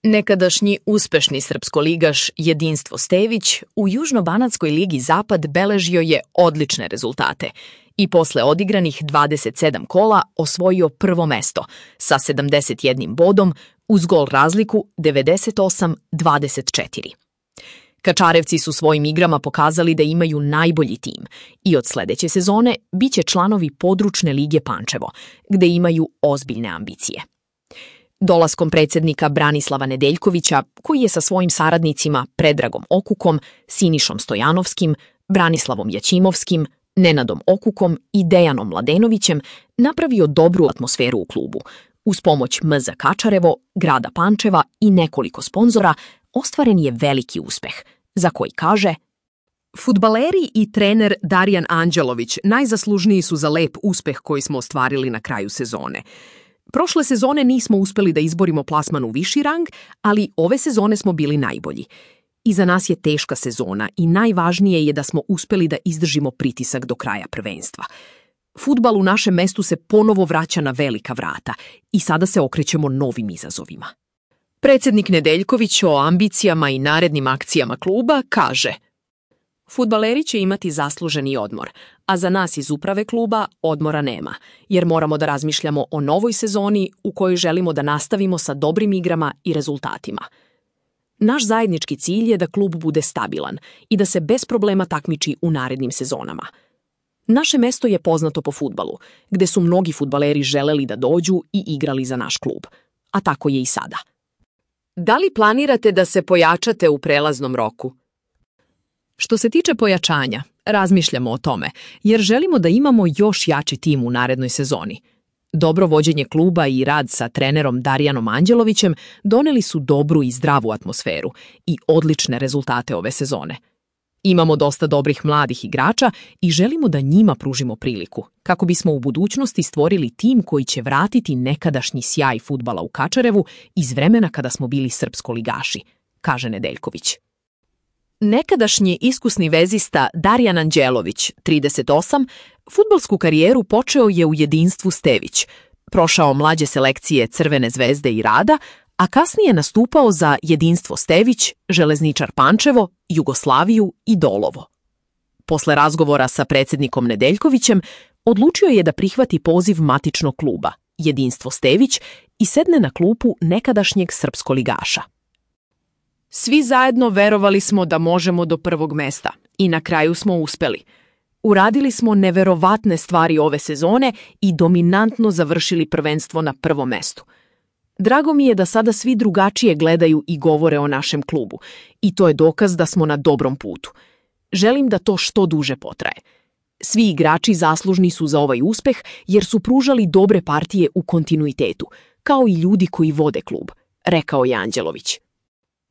Nekadašnji uspešni srpskoligaš Jedinstvo Stević u Južnobanatskoj ligi Zapad beležio je odlične rezultate i posle odigranih 27 kola osvojio prvo mesto sa 71 bodom uz gol razliku 98-24. Kačarevci su svojim igrama pokazali da imaju najbolji tim i od sledeće sezone biće članovi područne lige Pančevo, gde imaju ozbiljne ambicije. Dolaskom predsjednika Branislava Nedeljkovića, koji je sa svojim saradnicima Predragom Okukom, Sinišom Stojanovskim, Branislavom Jaćimovskim, Nenadom Okukom i Dejanom Mladenovićem, napravio dobru atmosferu u klubu. Uz pomoć MZ Kačarevo, grada Pančeva i nekoliko sponzora, ostvaren je veliki uspeh, za koji kaže: Fudbaleri i trener Darijan Anđelović najzaslužniji su za lep uspeh koji smo ostvarili na kraju sezone. Prošle sezone nismo uspeli da izborimo plasman u viši rang, ali ove sezone smo bili najbolji. Iza nas je teška sezona i najvažnije je da smo uspeli da izdržimo pritisak do kraja prvenstva. Fudbal u našem mestu se ponovo vraća na velika vrata i sada se okrećemo novim izazovima. Predsjednik Nedeljković o ambicijama i narednim akcijama kluba kaže: Fudbaleri će imati zasluženi odmor, a za nas iz uprave kluba odmora nema, jer moramo da razmišljamo o novoj sezoni u kojoj želimo da nastavimo sa dobrim igrama i rezultatima. Naš zajednički cilj je da klub bude stabilan i da se bez problema takmiči u narednim sezonama. Naše mesto je poznato po fudbalu, gde su mnogi fudbaleri želeli da dođu i igrali za naš klub, a tako je i sada. Da li planirate da se pojačate u prelaznom roku? Što se tiče pojačanja, razmišljamo o tome, jer želimo da imamo još jači tim u narednoj sezoni. Dobro vođenje kluba i rad sa trenerom Darijanom Anđelovićem doneli su dobru i zdravu atmosferu i odlične rezultate ove sezone. Imamo dosta dobrih mladih igrača i želimo da njima pružimo priliku, kako bismo u budućnosti stvorili tim koji će vratiti nekadašnji sjaj fudbala u Kačarevu iz vremena kada smo bili srpskoligaši, kaže Nedeljković. Nekadašnji iskusni vezista Darijan Anđelović, 38, fudbalsku karijeru počeo je u Jedinstvu Stević, prošao mlađe selekcije Crvene zvezde i Rada, a kasnije nastupao za Jedinstvo Stević, Železničar Pančevo, Jugoslaviju i Dolovo. Posle razgovora sa predsjednikom Nedeljkovićem, odlučio je da prihvati poziv matičnog kluba, Jedinstvo Stević, i sedne na klupu nekadašnjeg srpskoligaša. Svi zajedno verovali smo da možemo do prvog mesta i na kraju smo uspeli. Uradili smo neverovatne stvari ove sezone i dominantno završili prvenstvo na prvom mestu. Drago mi je da sada svi drugačije gledaju i govore o našem klubu i to je dokaz da smo na dobrom putu. Želim da to što duže potraje. Svi igrači zaslužni su za ovaj uspeh jer su pružali dobre partije u kontinuitetu, kao i ljudi koji vode klub, rekao je Anđelović.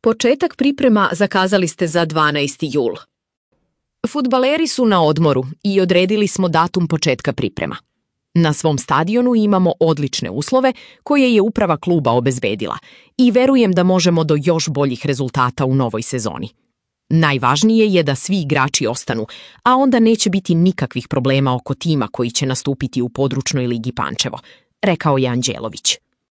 Početak priprema zakazali ste za 12. jul. Fudbaleri su na odmoru i odredili smo datum početka priprema. Na svom stadionu imamo odlične uslove koje je uprava kluba obezbedila i verujem da možemo do još boljih rezultata u novoj sezoni. Najvažnije je da svi igrači ostanu, a onda neće biti nikakvih problema oko tima koji će nastupiti u područnoj ligi Pančevo, rekao je Anđelović.